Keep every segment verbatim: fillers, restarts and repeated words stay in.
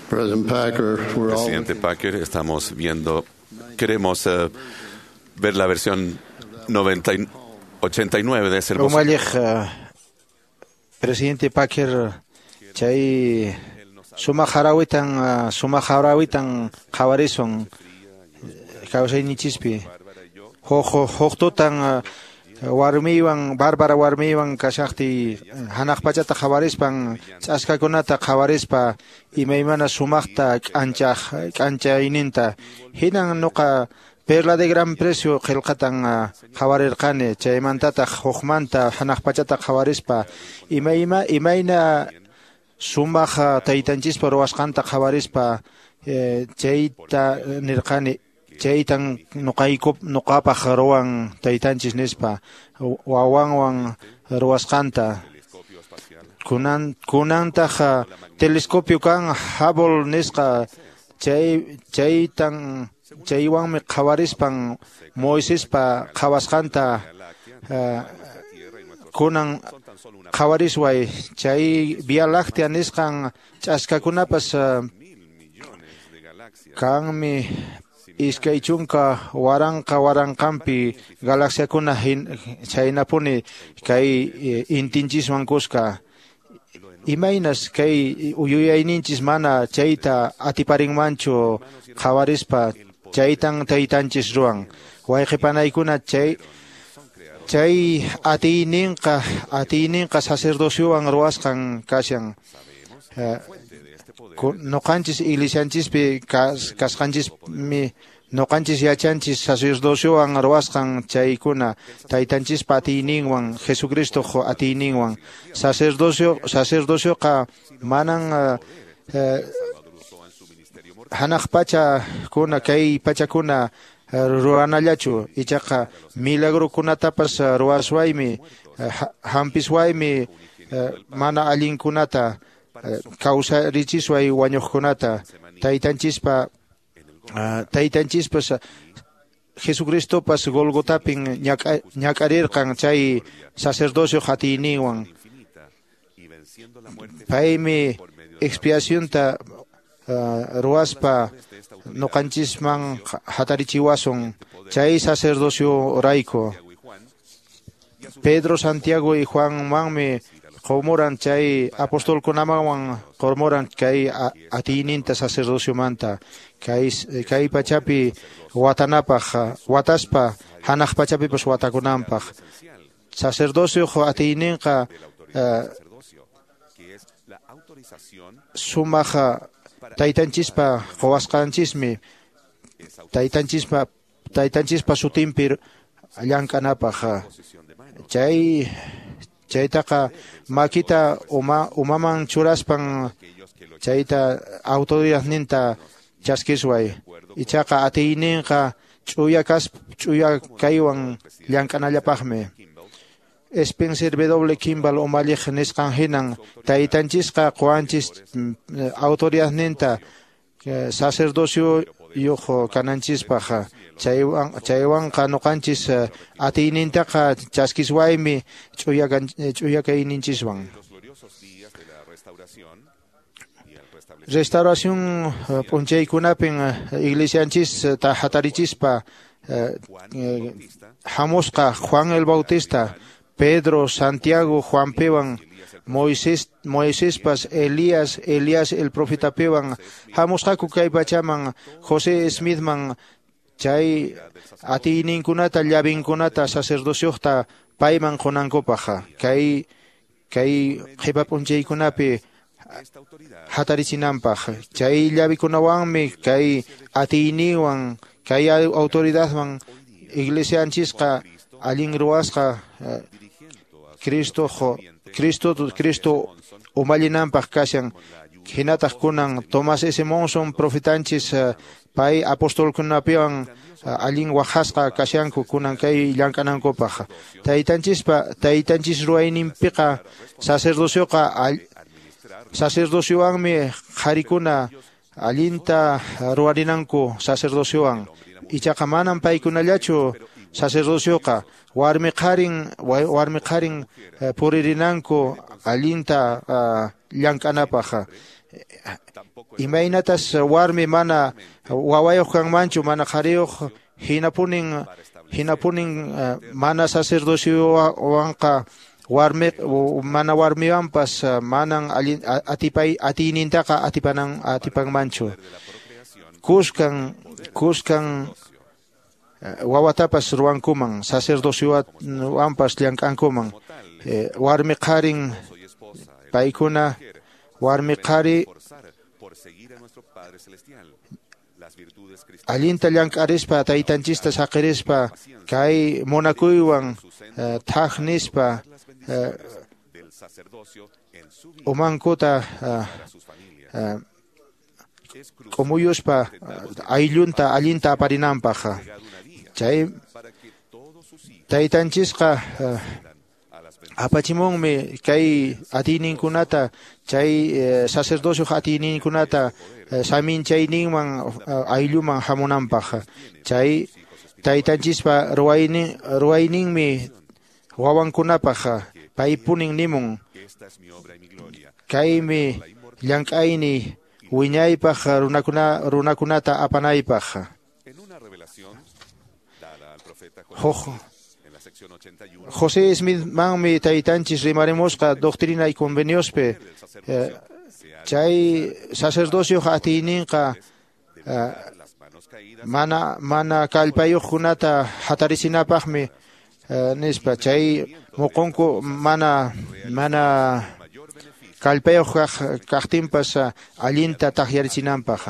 President Packer, we're all Presidente Packer, estamos viendo, queremos eh, ver la versión noventa y, ochenta y nueve de ese hermoso. Umalliq presidente Packer, chay sumaq harawitan sumaq harawitan qhawarisun kawsayninchispi. Huk huk tutan warmiwan Bárbara warmiwan kashaqtiy hanaq pachata qhawarispan ch'askakunata qhawarispa imaymana sumaqta k'anchaq k'anchayninta hinan nuqa Perla de Gran Precio qillqatan qhawarirqani chaymantataq hukmanta hanaq pachata qhawarispa imayma imayna sumaq taytanchispa ruwasqanta qhawarispa chayta nirqani chaytan nuqayku nuqapaq ruwan taytanchis nispa wawanwan ruwasqanta kunan kunantaq telescopio kan Hubble nisqa chay chaytan chaywanmi qhawarispan Moisespa qhawasqanta kunan qhawarisway chay Vía Láctea nisqan ch'askakunapas kanmi iskay chunka waranqa waranqanpi galaxiakuna chaynapuni kay intinchiswan kuska imaynas kay yuyayninchis mana chayta atiparinmanchu qhawarispa chaytan taytanchis ruwan wayqipanaykuna chay chay atiyninqa atiyninqa sacerdociowan ruwasqan kashan noqanchis iglesianchispi kasqanchismi noqanchis yachanchis sacerdociowan ruwasqan chaykuna taytanchispa atiyninwan Jesucristoq atiyninwan sacerdocio sacerdocioqa manan hanaq pachakuna kay pachakuna ruwanallachu ichaqa milagrokunatapas ruwaswaymi hampiswaymi mana allinkunata kawsarichisway wañuqkunata taytanchispa taytanchispas Jesucristopas Golgotapin ñak'arirqan chay sacerdocio atiyninwan paymi expiacionta ruwaspa nuqanchisman hatarichiwasun chay sacerdocio rayku Pedro, Santiago y Juanmanmi qumuran chay apostolkunamanwan qumuran kay atiyninta sacerdociomanta kay kay pachapi watanapaq wataspa hanaq pachapipas watakunanpaq sacerdocio atiyninqa sumaq taytanchispa quwasqanchismi taytanchispa taytanchispa sutinpi llank'anapaq chay chaytaqa makita uma umaman churaspan chayta autoridadninta chaskisway ichaqa atiyninqa ch'uya kas ch'uya kaywan llank'anallapaqmi Spencer W. Kimball umalliq nisqan hinan taytanchisqa quwanchis autoridadninta sacerdocio yuq kananchispaq chaywan chaywanqa nuqanchis atiynintaqa chaskiswaymi ch'uya ch'uya kayninchiswan Restauración p'unchaykunapin iglesianchis ta hatarichispa hamusqa Juan el Bautista Pedro, Santiago, Juan Pewan, Moisés, Moiséspas, Elías, Elías el profeta Pewan, hamusqaku kay pachaman, José Smithman, chay atiyninkunata llavinkunata sacerdocioqta payman qunankupaq kay kay qhipa p'unchaykunapi hatarichinanpaq chay llavikunawanmi kay atiyninwan kay autoridadman iglesianchisqa allin ruwasqa Cristo Cristo Cristo umallinanpaq kashan hinataq kunan Tomás S. Monson profetanchis pay apostolkunapiwan allin waqasqa kashanku kunan kay llank'anankupaq taytanchispa taytanchis ruwayninpiqa sacerdocioqa sacerdociowanmi qharikuna allinta ruwarinanku sacerdociowan ichaqa manan paykunallachu sacerdocioqa warmi qharin warmi qharin puririnanku allinta llank'anapaq Imaynatas warmi mana wawayuq kanmanchu mana qhariyuq, hinapunin hinapunin mana sacerdociowanqa warmi mana warmiwanpas manan allin atipay atiynintaqa atipanan atipanmanchu. Kuskan kuskan wawatapas ruwankuman, sacerdociowanpas llank'ankuman. Warmi qharin paykuna warmi qhari allinta llank'arispa taytanchista saqirispa kay munakuywan thaj nispa umankuta k'umuyuspa ayllunta allinta aparinanpaq. Chay taytanchisqa apachimunmi kay atiyninkunata, chay sacerdocioq atiyninkunata saminchayninman aylluman hamunanpaq. Chay taytanchispa ruwaynin ruwayninmi wawankunapaq paypunin nimun kaymi llank'ayni wiñaypaq runakuna runakunata apanaypaq. Huk José Smith manmi taytanchis rimarimusqa Doctrina y Conveniospi, chay sacerdocioq atiyninqa mana mana kallpayuqkunata hatarichinapaqmi nispa, chay muqunku mana mana kallpayuq kaq kaqtinpas allinta taqyarichinanpaq.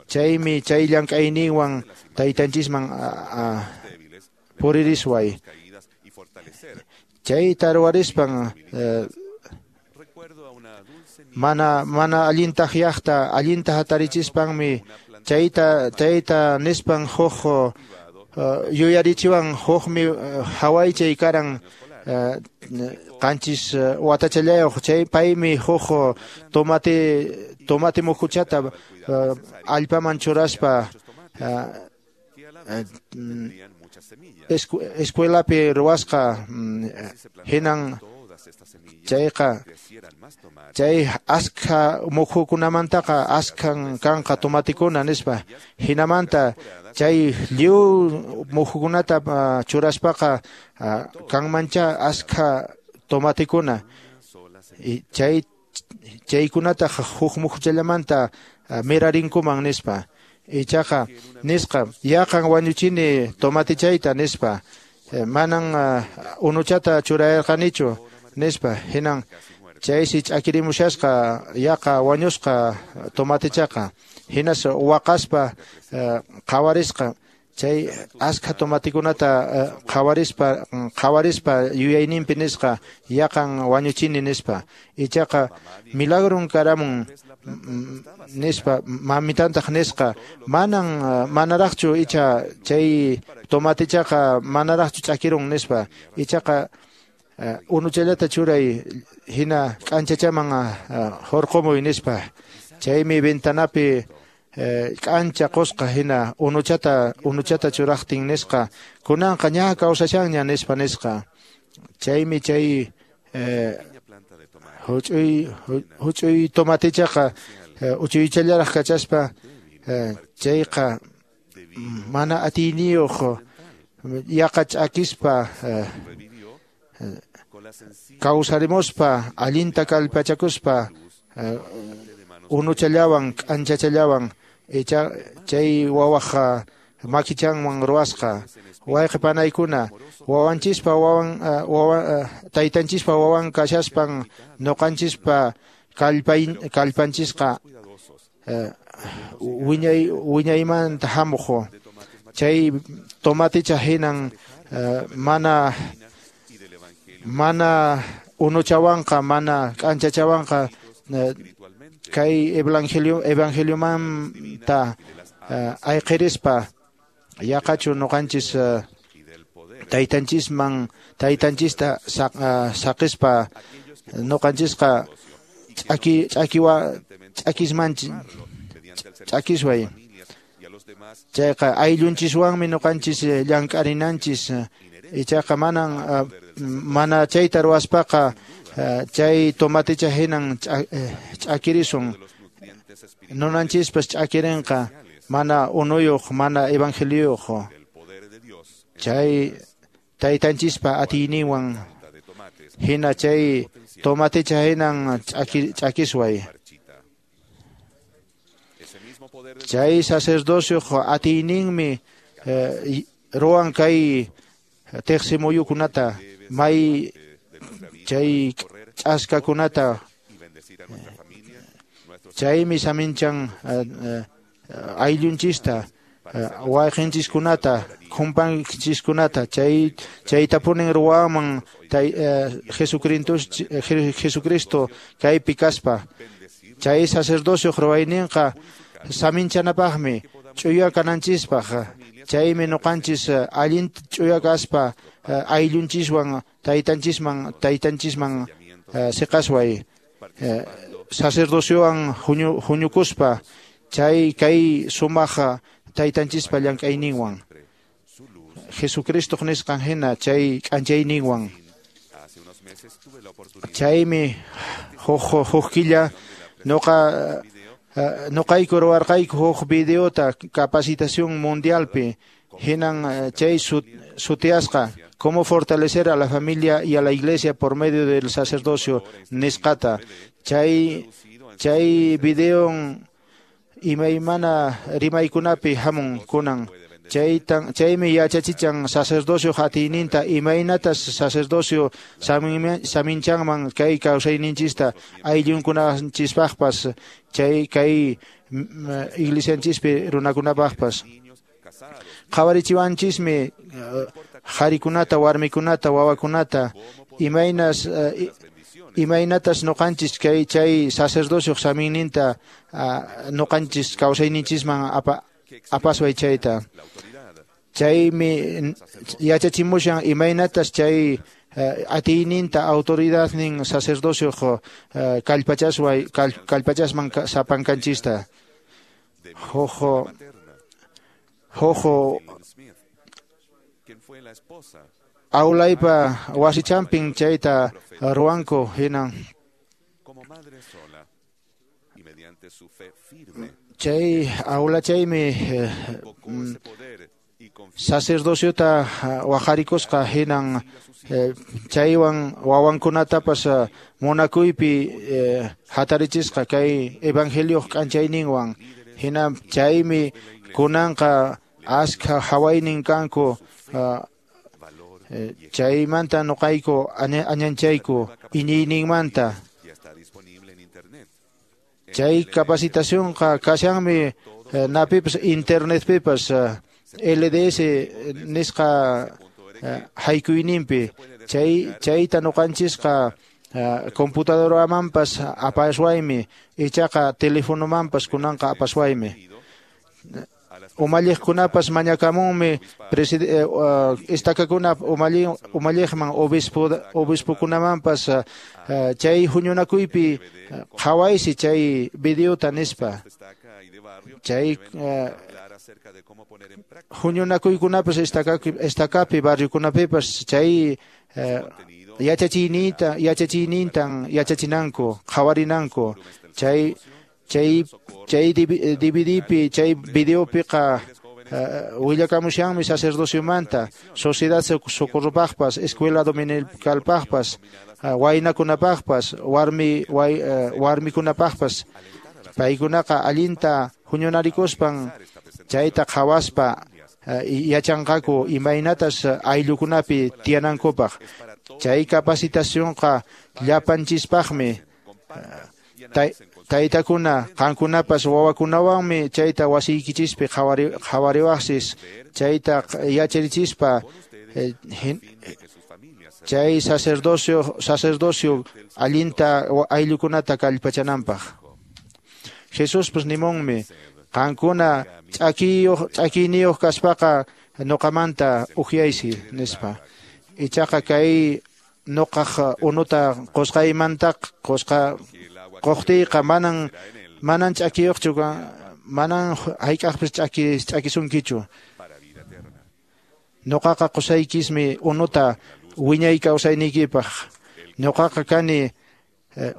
Chaymi chay llank'ayninwan taytanchisman puririsway. Chayta ruwarispan mana mana allin taqyaqta allinta hatarichispanmi chayta chayta nispan huk yuyarichiwan hukmi hawaychay karan qanchis watachallayuq, chay paymi huk tomate tomate muhuchata allpaman churaspa escuelapi ruwasqa hinan chayqa chay askha muhukunamantaqa askhan kanqa tomatikuna nispa. Hinamanta chay lliw muhukunata churaspaqa kanmancha askha tomatikuna, chay chaykunata huk muhuchallamanta mirarinkuman nispa. Ichaqa nisqa yaqan wañuchini tomatichayta nispa, manan unuchata churayarqanichu nispa. Hinan chaysi ch'akirimushasqa yaqa wañusqa tomatichaqa. Hinas waqaspa qhawarisqa chay askha tomatikunata qhawarispa qhawarispa yuyayninpi nisqa yaqan wañuchini nispa. Ichaqa milagron karamun nispa mamitantaq nisqa manan manaraqchu icha chay tomatichaqa manaraqchu ch'akirun nispa. Ichaqa unuchallata churay hina k'anchachaman hurqumuy nispa. Chaymi ventanapi k'ancha qusqa hina unuchata unuchata churaqtin nisqa kunanqa ña kawsashanña nispa nisqa. Chaymi chay huch'uy huch'uy tomatichaqa uchuychallaraq kachaspa chayqa mana atiyniyuq yaqa ch'akispa kawsarimuspa allinta kallpachakuspa unuchallawan k'anchachallawan icha chay wawaq makichanwan ruwasqa. Wayqi panaykuna wawanchispa wawan wawa taytanchispa wawan kashaspan ñuqanchispa kallpay kallpanchisqa wiñay wiñaymanta hamuq. Chay tomaticha hinan mana mana unuchawanqa mana k'anchachawanqa kay evangelio evangeliomanta ayqirispa yaqachu ñuqanchis taytanchisman taytanchista saqispa ñuqanchisqa ch'aki ch'akiwa ch'akismanchis ch'akisway. Chayqa ayllunchiswanmi ñuqanchis llank'arinanchis. Ichaqa manan mana chayta ruwaspaqa chay tomatecha hinan ch'akirisun, nunanchispas ch'akirinqa mana unuyuq, mana evangeliyuq. Chay taytanchispa atiyninwan hina chay tomatecha hinan ch'akisway. Chay sacerdocio atiyninmi ruwan kay teqsimuyukunata, may chay ch'askakunata, chaymi saminchan ayllunchista, wayqinchiskunata, khumpanchiskunata, chay chaytapunin ruwanman Jesucristo Jesucristo kaypi kaspa. Chay sacerdocio ruwayninqa saminchanapaqmi, ch'uya kananchispaq. Chaymi nuqanchis allin ch'uya kaspa ayllunchiswan taytanchisman taytanchisman siqasway, sacerdociowan huñukuspa chay kay sumaq taytanchispa llank'ayninwan, Jesucristo nisqan hina chay k'anchayninwan. Chaymi huk huk killa nuqa nuqayku ruwarqayku huk videota capacitación mundialpi, hinan chay sutiasqa cómo fortalecer a la familia y a la iglesia por medio del sacerdocio nisqata. Chay chay video imaymana rimaykunapi hamun kunan. Chaytan chaymi yachachichan sacerdocio atiyninta, imaynatas sacerdocio saminchanman kay kawsayninchista ayllunkunanchispaqpas, chay kay iglesianchispi runakunapaqpas. Qhawarichiwanchismi qharikunata, warmikunata, wawakunata, imaynas imaynatas nuqanchis kay chay sacerdocio saminninta nuqanchis kawsayninchisman apa apasway chayta. Chaymi yachachimushan imaynatas chay atiyninta, autoridadnin sacerdocio kallpachasway kallpachasman sapankanchista. Jojo jojo aulaypa wasichampin chayta ruwanku hinan. Chay aula chaymi sacerdociota waqarikusqa hinan chaywan wawankunatapas munakuypi hatarichisqa kay evangelioq k'anchayninwan. Hinan chaymi kunanqa askha hawaynin kanku, chaymanta nuqayku añanchayku iñiyninmanta. Chay capacitacionqa kashanmi napipas internetpipas L D S nisqa haykuyninpi. Chay chayta nuqanchisqa computadoramanpas apaswaymi, ichaqa telefonomanpas kunanqa apaswaymi. Umalliqkunapas mañakamunmi estakakuna umalliqman, obispo obispokunamanpas chay huñunakuypi qhawaysi chay videota nispa. Chay huñunakuykunapas estakapi barriokunapipas chay yachachiyninta yachachiynintan yachachinanku, qhawarinanku. Chay chay chay D V D pi chay videopiqa willakamushanmi sacerdociomanta, sociedad socorropaqpas, escuela dominicalpaqpas, waynakunapaqpas, warmi warmikunapaqpas. Paykunaqa allinta huñunarikuspan chayta qhawaspa yachanqaku imaynatas ayllukunapi tiyanankupaq. Chay capacitacionqa llapanchispaqmi. Taytakuna, qankunapas wawakunawanmi chayta wasiykichispi qhawariwaqsis, chayta yacharichispa chay sacerdocio sacerdocio allinta ayllukunata kallpachananpaq. Jesuspas nimunmi, qankuna ch'akiyuq ch'akiyniyuq kaspaqa nuqamanta ukyaysi nispa. Ichaqa kay nuqaq unuta qusqaymantaq qusqa qoqtiyqa manan manan ch'akiyuqchu, manan hayk'aqpis ch'aki ch'akisunkichu. Nuqaqa qusaykismi unuta wiñay kawsayniykipaq. Ñuqaqa kani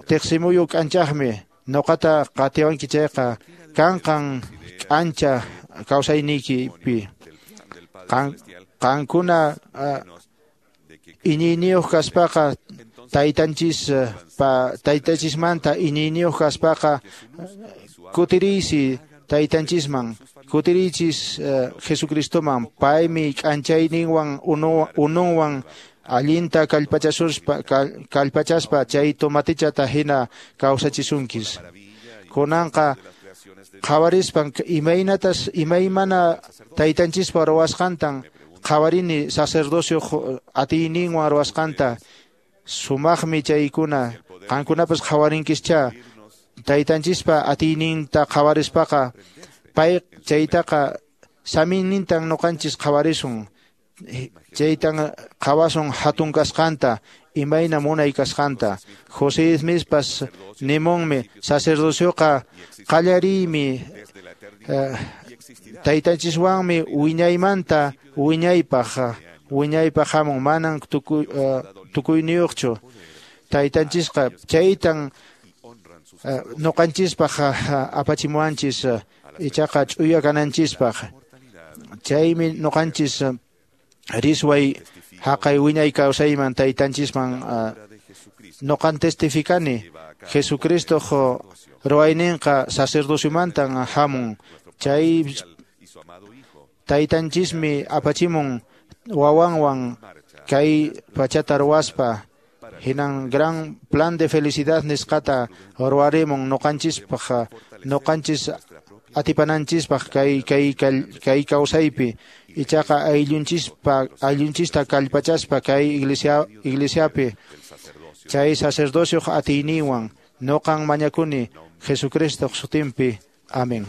tiqsimuyu k'anchaqmi, ñuqata qatiwanki chayqa kanqan k'ancha kawsayniykipi. Qankuna iñiyniyuq kaspaqa taytanchis pa taytanchismanta iñiyniyuq kaspaqa kutiriysi taytanchisman, kutiriychis Jesucristoman, paymi k'anchayninwan ununwan allinta kallpachasuspa kallpachaspa chay tomatichata hina kawsachisunkis. Kunanqa qhawarispan imaynatas imaymana taytanchispa ruwasqantan qhawarini sacerdocio atiyninwan ruwasqanta, sumaqmi chaykuna. Qankunapas qhawarinkischá taytanchispa atiyninta qhawarispaqa pay chaytaqa saminnintan ñuqanchis qhawarisun, chaytan qhawasun hatun kasqanta, imayna munay kasqanta. José Smithpas nimunmi sacerdocioqa qallariymi taytanchiswanmi wiñaymanta wiñaypaq wiñaypaq hamun, manan tukuy tukuyniyuqchu taytanchisqa. Chaytan ñuqanchispaq apachimuwanchis ichaqa ch'uya kananchispaq. Chaymi ñuqanchis risway haqay wiñay kawsayman taytanchisman. Ñuqan testificani Jesucristo ruwayninqa sacerdociomantan hamun. Chay taytanchismi apachimun wawanwan kay pachata ruwaspa, hinan gran plan de felicidad nisqata ruwarimun ñuqanchispaq, ñuqanchis atipananchispaq kay kay kay kawsaypi. Ichaqa ayllunchispa ayllunchista kallpachaspa kay iglesia iglesiapi chay sacerdocioq atiyninwan ñuqan mañakuni Jesucristoq sutinpi. Amén.